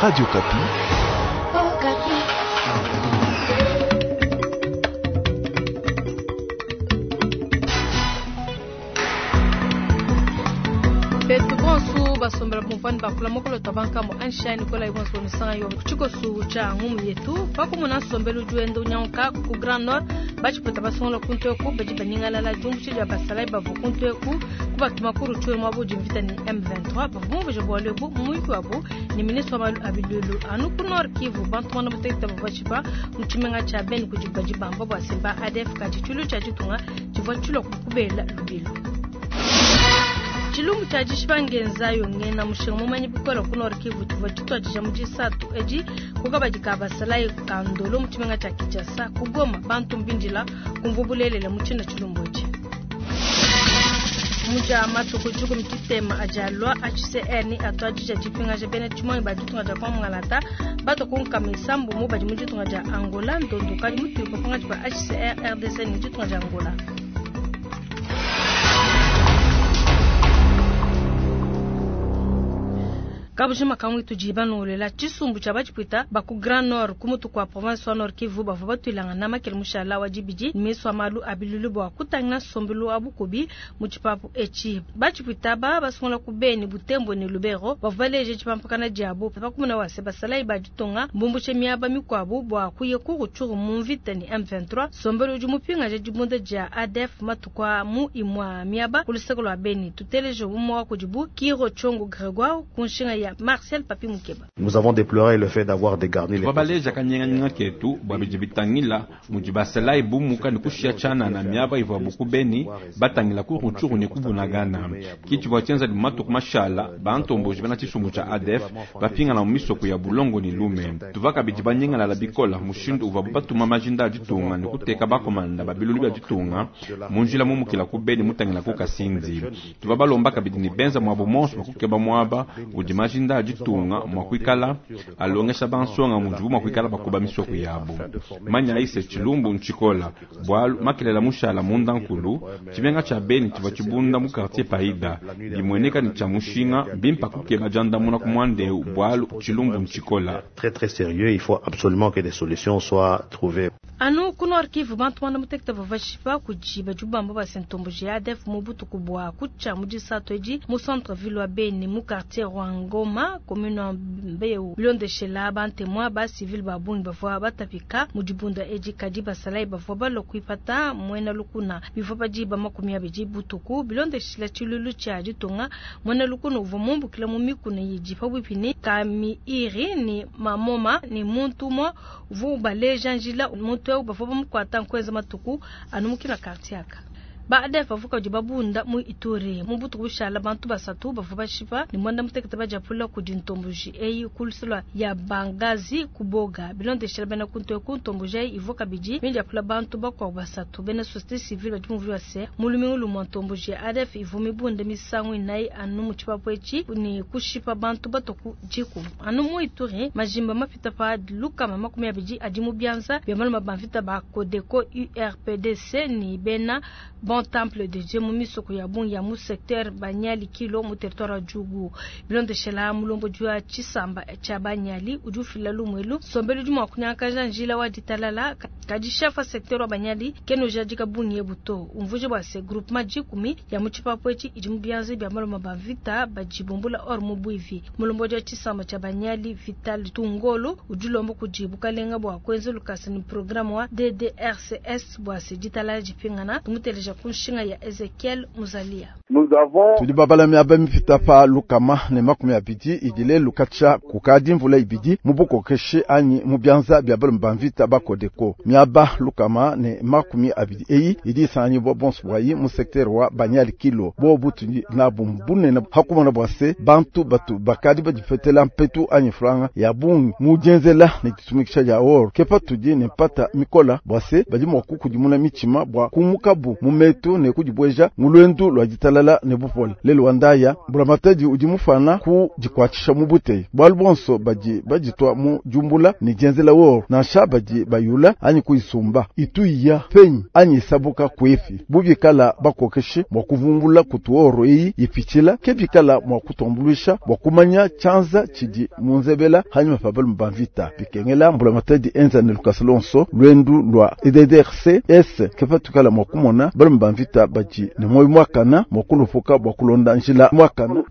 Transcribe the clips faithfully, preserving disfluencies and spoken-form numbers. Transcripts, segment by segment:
Radio Okapi. Betu bonso basombela kumvani bakula mokolo tabanka mo anshine kola ibonso misanga yo chikosu cha ngumu yetu pakumuna nsombelu juendo nyanka ku Grand Nord bachipota basongola kuntu eku baji baningalala jumbushi ja basalai bavu kuntu eku kubatuma ku Rutshuru mwabo jimvita ni M vingt-trois bavu mumveje bwalo ebu mumuiki wabo ni ministre wa malu abilulu anu ku Nord Kivu bantu mwana mutekita bavu bachipa mu tshimenga tsha Beni kudi baji bamba bwa simba A D F kati tshulu tsha ditunga tshivua tshilua kukubela lubilu. Tshilumbu tshia dishipa ngenza yo ngena mushinga mumanyi bikole ku Nord Kivu tshivua tshituadija mu disatu edi ku kabadi ka basalayi ka Ndolo mu tshimenga tshia Kinshasa ku Goma bantu mbindila kumvua bulelela mu tshina tshilumbu etshi. Muja matuku dikumi tshitema adi alua H C R ni atuadija dipingaja bena tshimonyi ba ditunga dia Kongo-Ngalata bato ku nkama isambu mu badi mu ditunga dia Angola ndondo kadi mutuiko pangatshi pa H C R R D C ni ditunga dia Angola. Kabujima kamwe tujiba nolela tshisumbu tshia batshipwita ba ku Grand Nord ku mutu kwa province wa Nord Kivu bavua batuilanga na makele mushala wa dibidi miso wa malu a bilulu bua kutangila nsombelu wa bukubi mu tshipapu etshi. Batshipwita ba basungula ku Beni, Butembo ne Lubero bavua baleje tshipampakana diabo pakumuna wa se basalayi ba ditunga mbumbushe miaba mikuabu bua kuya ku Rutshuru mu mvita ni M vingt-trois. Nsombelu udi mupingaja dibunda dia A D F matuku a mu imua miaba ku luseke lua Beni. Tuteleje umue wa kudibu Kiro Tshongo Gregoire ku nshinga ya Marcel Papi Mukeba. Nous avons déploré le fait d'avoir dégarni les Twabaleja kanyenganyinga ketu bwa bidi bitangila mudi basalayi bumuka ne kushia tshana na miaba ivua buku Beni batangila ku Rutshuru ne kubunagana. Ki tshivua tshienza di matuku mashala bantomboji bena tshisumbu tshia A D F bapingana mu misoko ya Bulongo ne Lume. Tuvua kabidi banyingalala bikola mushindu uvua batuma majinda a ditunga ne kuteka bakomanda ba bilulu bia ditunga mu njila mumukila ku Beni mutangila ku Kasindi. Tuvua balomba kabidi ne benza mwabo monso bakukeba mwaba udi majinda a ditunga mwa kuikala alongesha bansonga mudibu mwa kuikala bakuba misoko yabo. Manya ise tshilumbu ntshikola bwalu makelela mushala munda nkulu tshimenga tsha Beni tshivua tshibunda mu quartier Paida bimueneka ni tshia mushinga bimpa kukeba diandamuna ku mwandeu bwalu tshilumbu ntshikola. Très, très sérieux, il faut absolument que des solutions soient trouvées. Anu ku Nord Kivu bantu bana muteketa bavua bashipa kudi badi bamba ba sentomboji ya A D F mu butuku bua kutshia mu disatu edi mu centre ville wa Beni mu quartier Rwangoma commune wa Mbeu. Bilondeshela bantemwa ba civil ba bungi bavua batapika mu dibunda edi kadi basalayi bavua balua kuipata muena lukuna bivua badiba makumi abidi butuku. Bilondeshela tshilulu tshia ditunga muena lukuna uvua mumbukila mu mikuna yidi pabuipi ne Kamiiri ni Mamoma ni muntu umue uvua ubaleja njila muntu eu bavua bamukuata nkuenza matuku anu mukina quartier aka. Ba A D F bavua kadi babunda mu Ituri mu butuku bushala bantu basatu bavua bashipa ne mwanda mutekete badiapula kudi ntomboji eyi ku lusolo ya Bangazi kuboga. Bilondeshela bena kuntu eku ntomboji eyi ivua kabidi midiapula bantu bakuabu basatu. Bena société civile badi muvua se mu lumingu lumue ntomboji ya A D F ivua mibunde misangu inayi anu mu tshipapu etshi ne kushipa bantu batoku dikumi. Anu mu Ituri majimba mapita pa lukama makumi abidi adi mu bianza bia maluma ba mvita ba Codeco U R P D C ni bena Bon Temple de Dieu mu misoko ya bungi ya mu secteur Banyali Kilo mu territoire wa Djugu. Bilondeshela mulombo jua tshisamba tshia Banyali udi ufila lumwelu sombelu udi mua kunyakaja njila wa ditalala kadi chef wa secteur wa Banyali keno jadika bungi ebuto umvuje bua se groupement dikumi ya mu tshipapu etshi idi mu bianza bia maloma ba mvita bajibumbula or mu bwivi. Mulombo jua tshisamba tshia Banyali Vital Tungolo udi ulomba kudi bukalenga bua kuenza lukasa ni programme wa D D R C S bua se ditalala dipingana tumuteleja ku nshinga ya Ezekiel Muzalia. Nous avons Tudi babala miaba mipita pa lukama ne makumi abidi idile lukacha kukadi mvula ibidi mu bukokeshe anyi mu bianza bia balume ba mvita ba Codeco. Miaba lukama ne makumi abidi eyi idi isanganyibwa bonso bwayi mu secteur wa Banyali Kilo. Bobu tudi nabu mbunene hakumona bua se bantu batu bakadi badipetela mpetu anyi franga ya bungi mu dienzela ne ditumikisha dia or. Kepa tudi ne mpata mikola bua se badi mua kukudimuna mitshima bua kumukabu mu metu ne kudibweja mu lwendu lwa ditalala ditalala ne bupole. Lelu wa ndaya mbulamatadi udi mufana ku dikuatshisha mu buteyi bualu bonso badi baditwa mu jumbula ne dienzela woro nansha badi bayula anyi kuisumba ituiya penyi anyi isabuka kwefi bubikala bakokeshi mwa kuvumbula kutuoro eyi ipitshila ke bikala mwa kutombulusha bwa kumanya chanza chidi munzebela hanyuma pabalo mbamvita bikengela mbulamatadi enza ne lukasa lonso lwendu lwa E D D R C S kepatukala mwa kumona balo mbamvita badi ne moyo mwakana mwa kulupuka bwa kulonda njila mwakana.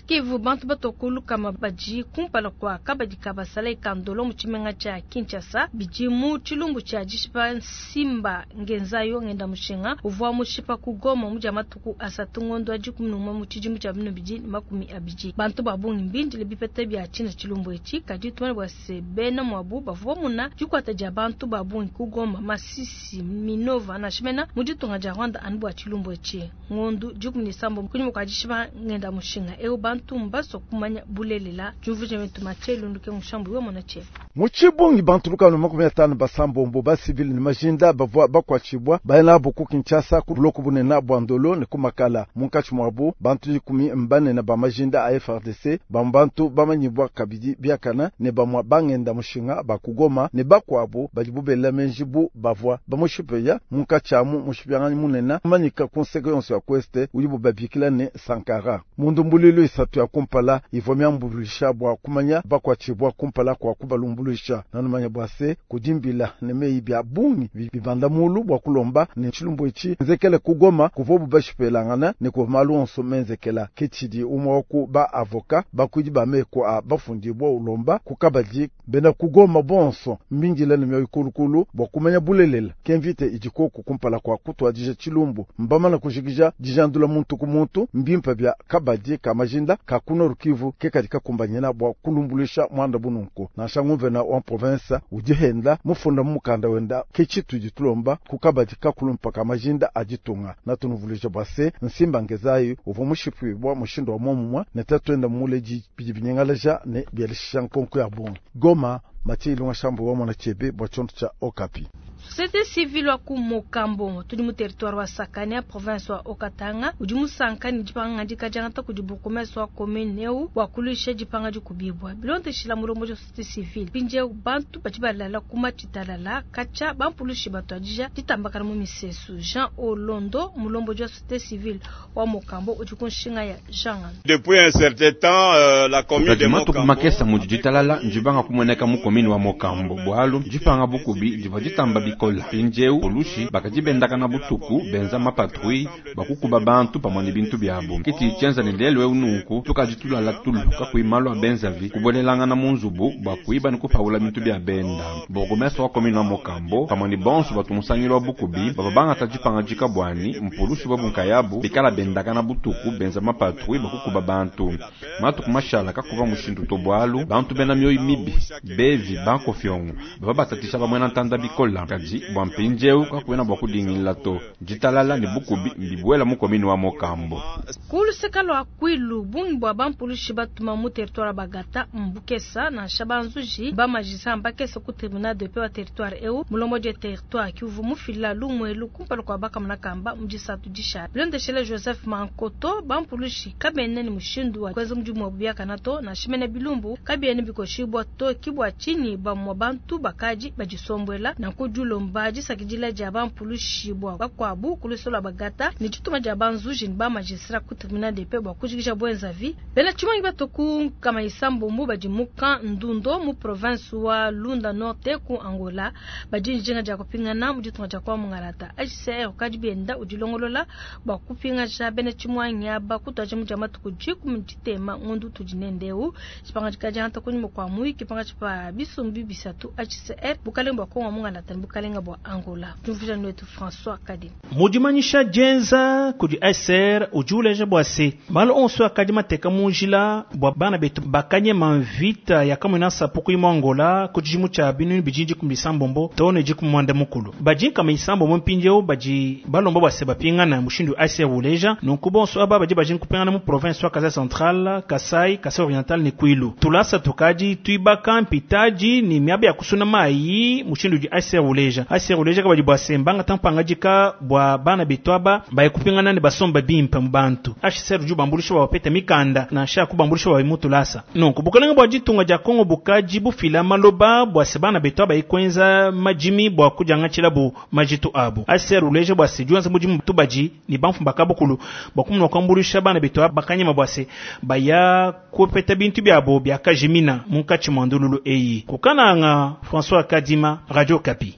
Kivu bantu batokulu kama baji kumpala kwa kabadi kabasala ikandolo mu tshimenga tshia Kinshasa bidi mu tshilumbu tshia dishipa Nsimba Ngenzayo ngenda mushinga uvua mushipa ku Goma mu dia matuku asatu ngondo adi kumi n'umwe mu tshidimu tshia bino bidi ne makumi abidi. Bantu ba bungi mbindile bipeta bia tshina tshilumbu etshi kadi tumane bua se bena mwabu bavua muna dikuata dia bantu ba bungi ku Goma Masisi Minova na Shimena mu ditunga dia Rwanda anu bua tshilumbu etshi ngondo dikumi ne sambo kunyima kua dishipa ngenda mushinga eu bantu mbaso kumanya bulelela jumvuje metu machelu nduke mushambu yo mona che muchibungi bantu lukano makumi atano basambombo ba civil ni majinda bavua bakwachibwa baena boku Kinshasa ku bloku bunena bwa Ndolo ne kumakala munkachi mwabu bantu ikumi mbanene ba majinda a F R D C bambantu bamanyibwa kabidi biakana ne bamwa bangenda mushinga bakugoma ne bakwabo bali bubela menjibu bavua bamushipeya munkachi amu mushipyangani munena manyika konseko yonso ya kweste ulibu babikila ne Sankara mundumbulilo isatu ya kumpala ivua miambulisha bwa kumanya bakwachibwa kumpala kwa kubalumbulisha nanumanya bwa se kudimbila ne meyi bya bungi bibanda mulu bwa kulomba ne tshilumbu etshi nzekele kugoma kuvobu bashipelangana ne kuva onso menzekela ketshidi umwe ku ba avoka bakudi bameko a bafundibwa ulomba kukabadi bena kugoma bonso mbingila ne myoyo kulukulu bwa kumanya bulelela kemvite idiko kumpala kwa kutwadija tshilumbu mbamana kujikija dijandula muntu ku muntu mbimpa bya kabadi kamajinda kakuno Rukivu kekadi kakumbanyana bwa kulumbulisha mwanda bununku nansha nguvena wa province udihenda mufunda mukanda wenda kechitu ditulomba kukabadi kakulumpa kamajinda aditunga natunuvulija bwa se Nsimba Ngezayo uva mushipwibwa mushindo wa momumwa netatwenda muleji bidibinyengalaja ne byalisha nkonko ya bungi. Goma Matie Ilunga Shambu wa mwana chebe bwa chonto cha Okapi. Société civile wa ku Mokambo tudi mu territoire wa Sakania province wa Okatanga udi musanka ni dipanga dikajangata kudi bourgmestre wa commune eu wa kulisha dipanga dikubibwa bilondeshila mulombo ja société civile pinje bantu badi balala kuma tshitalala kacha bampulushi batwadija ditambakana mu misesu. Jean Olondo mulombo ja société civile wa Mokambo udi kunshinga ya Jean. Depuis un certain temps euh, la commune de Mokambo makesa mu ditalala njibanga kumoneka mu commune wa Mokambo bwalu dipanga bukubi diva ditamba bikola pinjeu polushi bakajibendaka na butuku benza mapatrui bakukuba bantu pamwe ne bintu byabo kiti tyenza ne lelo eu tukajitulala tulu kakuimalo abenzavi kubwelelanga na munzubu bwakuiba ne kupaula bintu bya benda. Bourgmestre wa commune wa Mokambo pamwe ne bonso batumusangilo wa bukubi baba bangata dipanga dika bwani mpolushi bwa bunkayabu bikala bendaka na butuku benza mapatrui bakukuba bantu matuku mashala kakuba mushindu to bwalu bantu bena mioyo mibi bevi bankofyongo baba batatisha bamwe na ntanda bikola kadi bwa mpinjeu kakuena bwa kudingila to ditalala ne bukubi mbibwela mu commune wa Mokambo. Kuluseka lwa Kwilu bungi bwa bampulushi batuma mu territoire bagata mbukesa na shabanzuji bamajisa mbakesa ku tribunal de paix wa territoire eu mulombo de territoire kivu mufila lumwelu kumpala kwa bakamuna kamba mujisatu disha bilondeshele Joseph Mankoto bampulushi kabene ni mushindu wa kweza mudimu wa buyakana to na shimene bilumbu kabiene bikoshibwa to kibwa chini bamwa bantu bakaji bajisombwela na kujulomba jisakidila ja bampulushi bwa bakwabu kulusola bagata ni chituma ja banzuji ni ba magistrat ku tribunal de paix bwa kujikisha bwenzavi bena chimangi batoku kama isambo mu bajimuka ndundo mu province wa Lunda Norte ku Angola bajinjenga ja kupingana mu ditunga ja kwa mungalata H C R kajibienda udilongolola bwa kupinga ja bena chimwangi aba kutwaje mu jama tukujiku mu chitema ngundu tujinendeu chipanga chikaja kunyuma kwa mui kipanga chipa bisumbi bisatu H C R bukalenga bwa Kongo mungalata bukalenga bwa Angola. Tumvija nwetu François Kadi mudimanyisha jenza kudi S R ujuleje bwase malo onso akadi mateka munjila bwa bana betu bakanye manvita ya kamwina sapuku imo Angola kujimu cha binu bijinji kumisambombo tone jikumwanda mukulu bajinka misambo mpinjeo baji balomba bwase bapingana mushindu S R uleja nunku bonso aba baji bajin kupingana mu province wa Kasai Central, Kasai, Kasai Oriental ni Kwilu tulasa tukaji tuibaka mpitaji ni miaba ya kusuna mai mushindu di S R uleja uleja. H C R uleja kabadi bua se mbangata mpangadika bua bana betu aba baye kupingana ne basomba bimpe mu bantu. H C R udi ubambuluisha bua bapete mikanda nansha kubambuluisha bua mutulasa. Nunku bukalenge bua ditunga dia Kongo bukaji bufila maloba bua se bana betu aba ikwenza majimi bua kudiangatshila majitu abu. H C R uleja bua se diwenza mudimu tubadi ni bamfumba kabukulu bua kumuna kuambuluisha bana betu aba bakanyema bua se baya kupeta bintu byabo byakajimina munkatshi mwa ndululu eyi. Kukananga, François Kadima, Radio Okapi.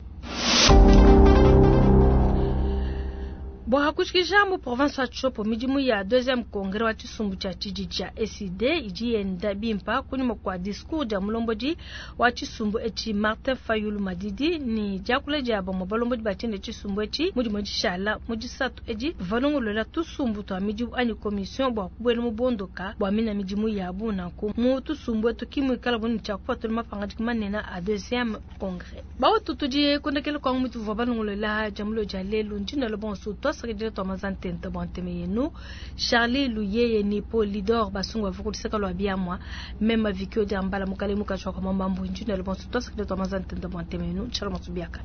Bua hakushikisha mu province wa Tshopo, midimu ya deuxième congrès wa tshisumbu tshia tshidi tshia E C D idi yenda bimpa kunyima kua discours dia mulombodi wa tshisumbu etshi Martin Fayulu Madidi ni diakula dia bamue balombodi ba tshiende tshisumbu etshi mudimu dishala mu disatu edi valongolola tusumbu tua midimu anyi commission bua kubuela mu bondoka bua mina midimu yabu. Nanku mu tusumbu etu kimuikala buni tshia kupatula mapangadika manene a deuxième congrès. Bawetu, tudi kondekela kwangu mutu vua balongolola diamulo dia lelu. Ndinalo bonso twasakidila twa mazantenta bua nteme yenu. Charlie Luyeye ni Polidor Basungu bavukulisaka lwa biamwa mema vikio dia mbala mukale mukashwa kwa mambambu. Ndinalo bonso twasakidila twa mazantenta bua nteme yenu. Tshala biaka.